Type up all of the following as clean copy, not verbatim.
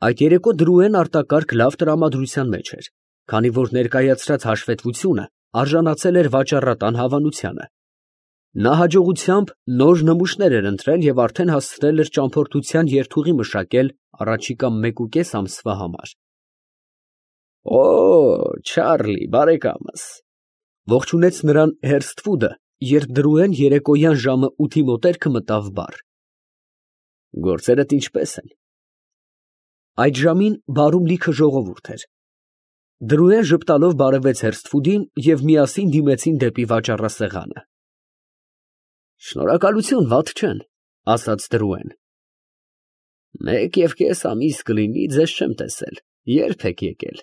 Այդ երեկո Դրուեն արտակարգ լավ տրամադրության մեջ էր, քանի որ ներկայացրած հաշվետվությունը արժանացել էր վաճառատան հավանությանը։ Նա հաջողությամբ նոր նմուշներ էր ընտրել և արդեն հասցրել էր ճամփորդության երթուղի մշակել առաջիկա 1.5 ամսվա համար։ «Օ, Չարլի, բարեկամս», ողջունեց նրան Հերսթվուդը, երբ Դրուեն երեկոյան ժամը 8-ի մոտերքը մտավ բար։ «Գործերդ ինչպե՞ս են»։ Այդ ժամին բարում լիքը ժողովուրդ էր։ Դրուեն ժպտալով բարևեց Հերսթվուդին և միասին դիմեցին դեպի վաճառասեղանը։ «Շնորհակալություն, վատ չեն», ասաց Դրուեն։ «1.5 ամիս կլինի, ձեզ չեմ տեսել, ե՞րբ եք եկել»։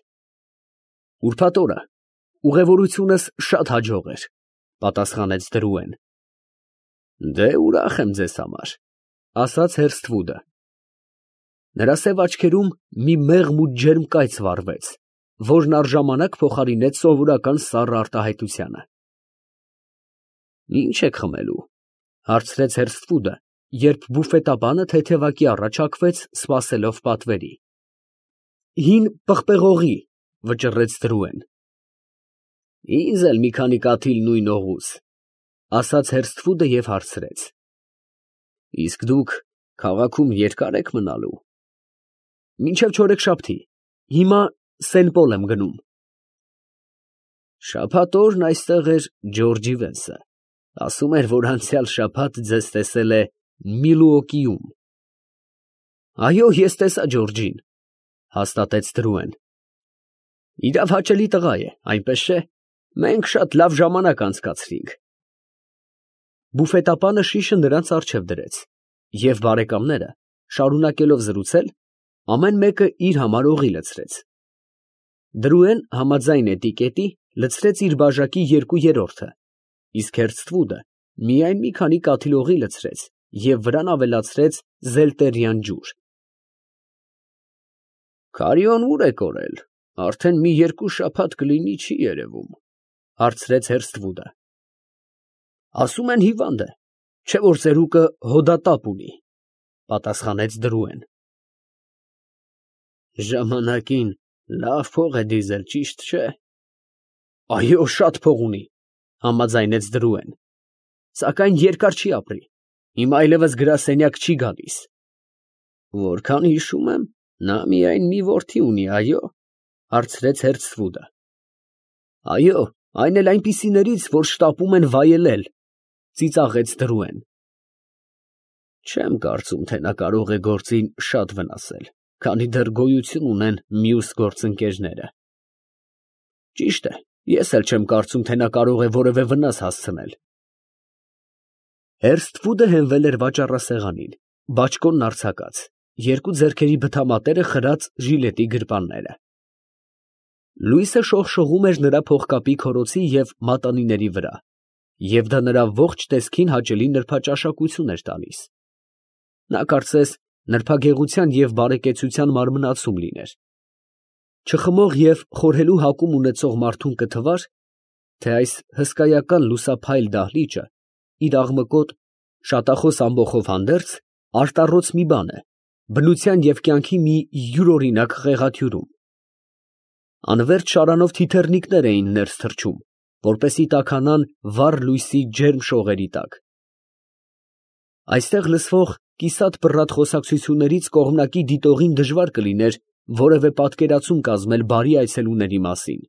«Ուրբաթ օրը, ուղևորությունս շատ հաջող էր», պատասխանեց Դրուեն։ «Դե ուրախ եմ ձեզ համար», ասաց Հերսթվուդը։ Նրա սև աչքերում մի մեղմ ու ջերմ կայծ վառվեց, որն առժամանակ փոխարինեց սովորական սառը արտահայտությանը։ «Ի՞նչ եք խմելու», հարցրեց Հերսթվուդը, երբ բուֆետաբանը թեթևակի առաջ հագվեց, սպասելով պատվերի։ «Հին պղպեղողի», վճռեց Դրուեն։ «Ինձ էլ մի քանի կաթիլ նույն օղուց», ասաց Հերսթվուդը և հարցրեց. «Իսկ դուք քաղաքում երկա՞ր եք մնալու»։ «Մինչև չորեքշաբթի, հիմա Սենպոլ եմ գնում»։ «Շաբաթ օրն այստեղ էր Ջորջի Վենսը, ասում էր, որ անցյալ շաբաթ ձեզ տեսել է Միլուոկիում»։ «Այո, ես տեսա Ջորջին», հաստատեց Դրուեն։ «Իրավ հաճելի տղա է, այնպես չէ՞, մենք շատ լավ ժամանակ անցկացրինք»։ Բուֆետապանը շիշը նրանց առջև դրեց, և բարեկամները, շարունակելով զրուցել, ամեն մեկը իր համար օղի լցրեց։ Դրուեն համաձայն էտիկետի լցրեց իր բաժակի 2/3-ը, իսկ Հերսթվուդը միայն մի քանի կաթիլ օղի լցրեց և վրան ավելացրեց զելտերյան ջուր։ «Քարիոն ուր է կորել, արդեն մի 2 շաբաթ կլինի, չի երևում», հարցրեց Հերսթվուդը։ «Ասում են հիվանդ է, չէ՞ որ ծերուկը հոդատապ ունի», պատասխանեց Դրուեն։ «Ժամանակին լավ փող է դիզել, ճիշտ չէ»։ «Այո, շատ փող ունի», համաձայնեց Դրուեն, «սակայն երկար չի ապրի, հիմա այլևս գրասենյակ չի գալիս»։ «Որքան հիշում եմ, նա միայն մի որդի ունի, այո՞, հարցրեց Հերսթվուդը։ «Այո, այն էլ այնպիսիներից, որ շտապում են վայելել», ծիծաղեց Դրուեն։ «Չեմ կարծում, թե նա կարող է գործին շատ վնասել, քանի դեռ գոյություն ունեն մյուս գործընկերները»։ «Ճիշտ է, ես էլ չեմ կարծում, թե նա կարող է որևէ վնաս հասցնել»։ Հերսթվուդը հենվել էր վաճառասեղանին, բաճկոնն արձակած, երկու ձեռքերի բթամատերը խրած ժիլետի գրպանները։ Լույսը շողշողում էր նրա փողկապի քորոցի և մատանիների վրա, և դա նրա ողջ տեսքին հաճելի նրբաճաշակություն էր տալիս։ Նա կարծես նրբագեղության և բարեկեցության մարմնացում լիներ։ Չխմող և խորհելու հակում ունեցող մարդուն կթվար, թե այս հսկայական լուսափայլ դահլիճը իր աղմկոտ, շատախոս ամբոխով հանդերձ արտառոց մի բան է, բնության և կյանքի մի յուրօրինակ խեղաթյուրում։ Անվերջ շարանով թիթեռնիկներ էին ներս թռչում, որպեսզի տաքանան վառ լույսի ջերմ շողերի տակ։ Այստեղ լսվող կիսատ պռատ խոսակցություններից կողմնակի դիտողին դժվար կլիներ որևէ պատկերացում կազմել բարի այցելուների մասին։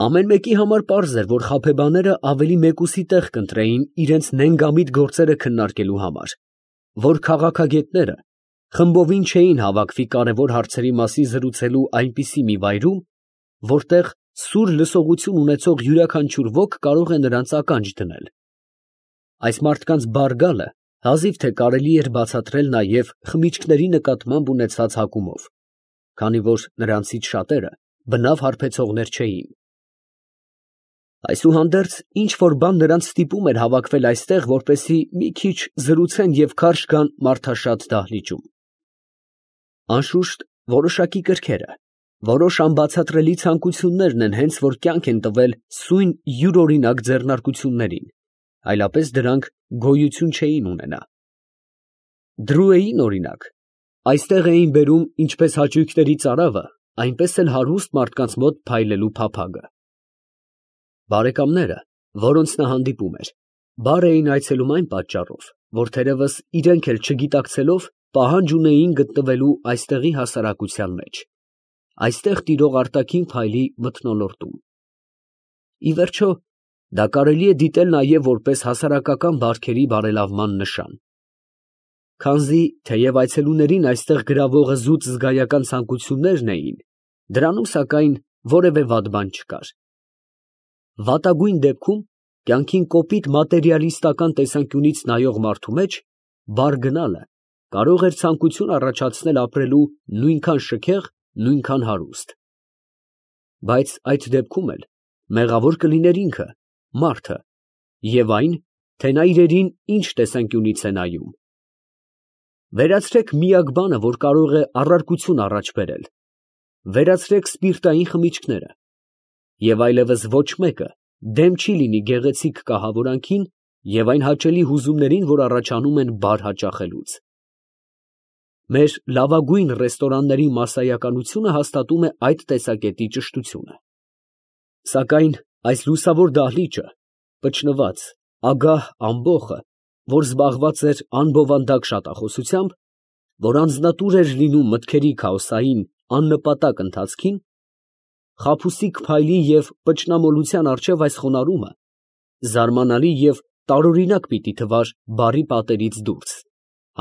Ամեն մեկի համար պարզ էր, որ խաբեբաները ավելի մեկուսի տեղ կընտրեին իրենց նենգամիտ գործերը քննարկելու համար, որ քաղաքագետները խմբովին չէին հավաքվի կարևոր հարցերի մասին զրուցելու այնպիսի մի վայրում, որտեղ սուր լսողություն ունեցող յուրաքանչյուր ոք կարող է նրանց ականջ դնել։ Այս մարդկանց բար գալը հազիվ թե կարելի էր բացատրել նաև խմիչքների նկատմամբ ունեցած հակումով, քանի որ նրանցից շատերը բնավ հարբեցողներ չէին։ Այսուհանդերձ ինչ որ բան նրանց ստիպում էր հավաքվել այստեղ, որպեսզի մի քիչ զրուցեն և քարշ գան մարդաշատ դահլիճում։ Անշուշտ, որոշակի կրքերը, որոշ անբացատրելի ցանկություններն են հենց որ կյանք են տվել սույն յուրօրինակ ձեռնարկություններին, այլապես դրանք գոյություն չէին ունենա։ Դրուեին, օրինակ, Այստեղ էին բերում ինչպես հաճույքների ծարավը, այնպես էլ հարուստ մարդկանց մոտ փայլելու փափագը։ Բարեկամները, որոնց նա հանդիպում էր, բար էին այցելում այն պատճառով, որ թերևս իրենք էլ չգիտակցելով պահանջ ունեին գտնվելու այստեղի հասարակության մեջ, այստեղ տիրող արտաքին փայլի մթնոլորտում։ Ի վերջո, դա կարելի է դիտել նաև որպես հասարակական բարքերի բարելավման նշան։ Քանզի, թեև այցելուներին այստեղ գրավողը զուտ զգայական ցանկություններն էին, դրանում սակայն որևէ վատ բան չկար։ Վատագույն դեպքում կյանքին կոպիտ մատերիալիստական տեսանկյունից նայող մարդու մեջ բար գնալը կարող էր ցանկություն առաջացնել ապրելու նույնքան շքեղ, նույնքան հարուստ։ Բայց այդ դեպքում էլ մեղավոր կլիներ ինքը, մարդը, և այն, թե նա իրերին ինչ տեսանկյունից է նայում։ Վերացրեք միակ բանը, որ կարող է առարկություն առաջ բերել, վերացրեք սպիրտային խմիչքները, և այլևս ոչ մեկը դեմ չի լինի գեղեցիկ կահավորանքին և այն հաճելի հուզումներին, որ առաջանում են բար հաճախելուց։ Մեր լավագույն ռեստորանների մասսայականությունը հաստատում է այդ տեսակետի ճշտությունը։ Սակայն այս լուսավոր դահլիճը, պճնված, ագահ ամբոխը, որ զբաղված էր անբովանդակ շատախոսությամբ, որ անձնատուր էր լինում մտքերի քաոսային, աննպատակ ընթացքին, խաբուսիկ փայլի և պճնամոլության առջև այս խոնարհումը զարմանալի և տարօրինակ պիտի թվար բարի պատերից դուրս,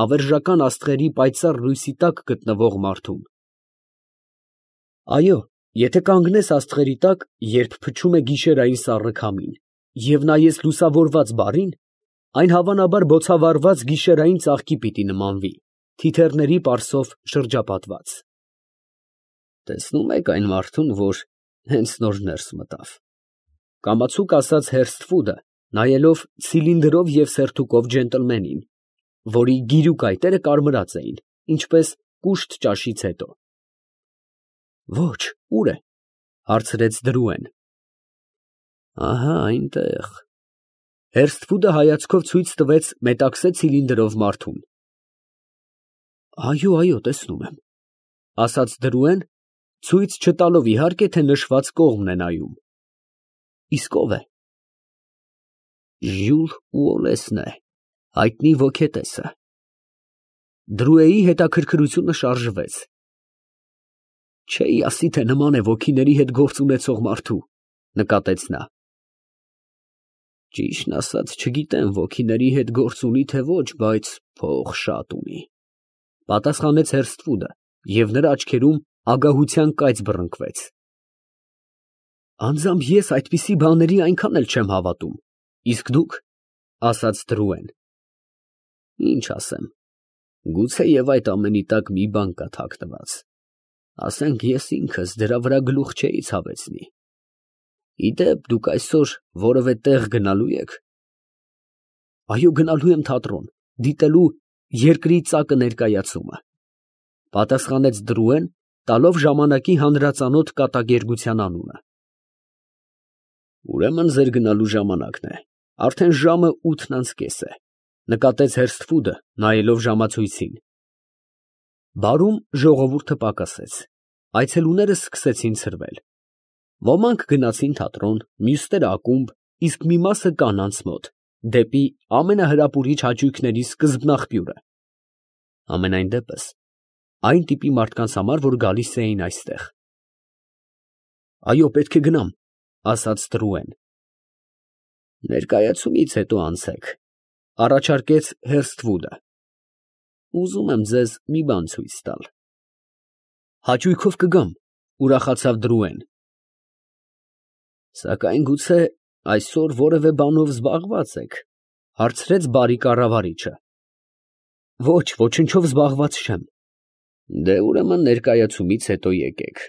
հավերժական աստղերի պայծառ լույսի տակ գտնվող մարդուն։ Այո, եթե կանգնես աստղերի տակ, երբ փչում է գիշերային սառը քամին, և նայես լուսավորված բարին, այն հավանաբար բոցավառված գիշերային ծաղկի պիտի նմանվի, թիթեռների պարսով շրջապատված։ Տեսնո՞ւմ եք այն մարդուն, որ հենց նոր ներս մտավ, ֊ կամացուկ ասաց Հերսթվուդը, նայելով ցիլինդրով և սերթուկով ջենտլմենին, որի գիրուկ այտերը կարմրած էին, ինչպես կուշտ ճաշից հետո։ ֊ Ո՛չ, ո՞ւր է, ֊ հարցրեց Դրուեն։ ֊ Ահա այնտեղ։ Հերսթվուդը հայացքով ցույց տվեց մետաքսե ցիլինդրով մարդուն։ Այո, այո, տեսնում եմ, ֊ ասաց Դրուեն, ցույց չտալով իհարկե, թե նշված կողմն է նայում։ Իսկ ո՞վ է։ Ժյուլ Ուոլեսն է, հայտնի ոգետեսը։ Դրուեի հետաքրքրությունը շարժվեց։ Չէի ասի, թե նման է ոգիների հետ գործ ունեցող մարդու, ֊ նկատեց նա։ Ճիշտն ասած, չգիտեմ ոգիների հետ գործ ունի, թե ոչ, բայց փող շատ ունի, ֊ պատասխանեց Հերսթվուդը, և նրա աչքերում ագահության կայծ բռնկվեց։ Անձամբ ես այդպիսի բաների այնքան էլ չեմ հավատում, իսկ դուք, ֊ ասաց Դրուեն։ Ինչ ասեմ, գուցե և այդ ամենի տակ մի բան կա թաքնված, ասենք ես ինքս դրա վրա գլուխ չէի ցավեցնի։ Իդեպ, դուք այսօր որևէ տեղ գնալո՞ւ եք։ Այո, գնալու եմ թատրոն, դիտելու «Երկրի ծակը» ներկայացումը, ֊ պատասխանեց Դրուեն, տալով ժամանակի հանրածանոթ կատակերգության անունը։ Ուրեմն ձեր գնալու ժամանակն է, արդեն ժամը 8:30 է, ֊ նկատեց Հերսթվուդը, նայելով ժամացույցին։ Բարում ժողովուրդը պակասեց, այցելուները սկսեցին ցրվել։ Ոմանք գնացին թատրոն, մյուսները ակումբ, իսկ մի մասը կանանց մոտ, դեպի ամենահրապուրիչ հաճույքների սկզբնաղբյուրը, համենայն դեպս, այն տիպի մարդկանց համար, որ գալիս էին այստեղ։ Այո, պետք է գնամ, ֊ ասաց Դրուեն։ Ներկայացումից հետո անցեք, ֊ առաջարկեց Հերսթվուդը։ Ուզում եմ ձեզ մի բան ցույց տալ։ Հաճույքով կգամ, ֊ ուրախացավ Դրուեն։ Սակայն գուցե այսօր որևէ բանով զբաղված եք, ֊ հարցրեց բարի կառավարիչը։ Ոչ, ոչնչով զբաղված չեմ։ Դե ուրեմն ներկայացումից հետո եկեք։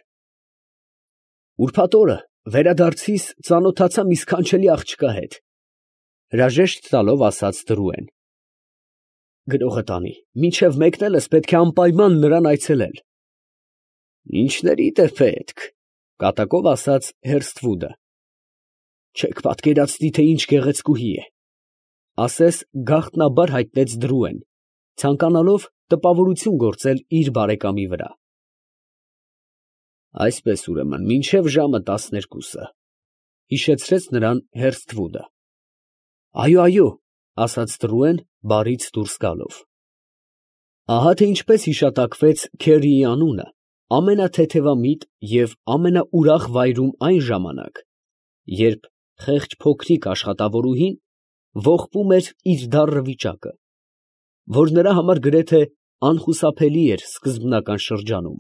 Ուրբաթ օրը վերադարձիս ծանոթացա մի սքանչելի աղջկա հետ, ֊ հրաժեշտ տալով ասաց Դրուեն։ Գրողը տանի, մինչև մեկնելս պետք է անպայման նրան այցելել։ Ինչներիդ է պետք, ֊ կատակով ասաց Հերսթվուդը։ Չեք պատկերացնի, թե ինչ գեղեցկուհի է, ֊ ասես գաղտնաբար հայտնեց Դրուեն, ցանկանալով տպավորություն գործել իր բարեկամի վրա։ Այսպես ուրեմն, մինչև ժամը 12-ը, հիշեցրեց նրան Հերսթվուդը։ Այո, ասաց Տրուեն, բարից դուրս գալով։ Ահա թե ինչպես հիշատակվեց Քերիի անունը ամենաթեթևամիտ և ամենաուրախ վայրում այն ժամանակ, երբ խեղճ փոքրիկ աշխատավորուհին ողբում էր իր դառն վիճակը, որ նրա համար գրեթե անխուսափելի էր սկզբնական շրջանում։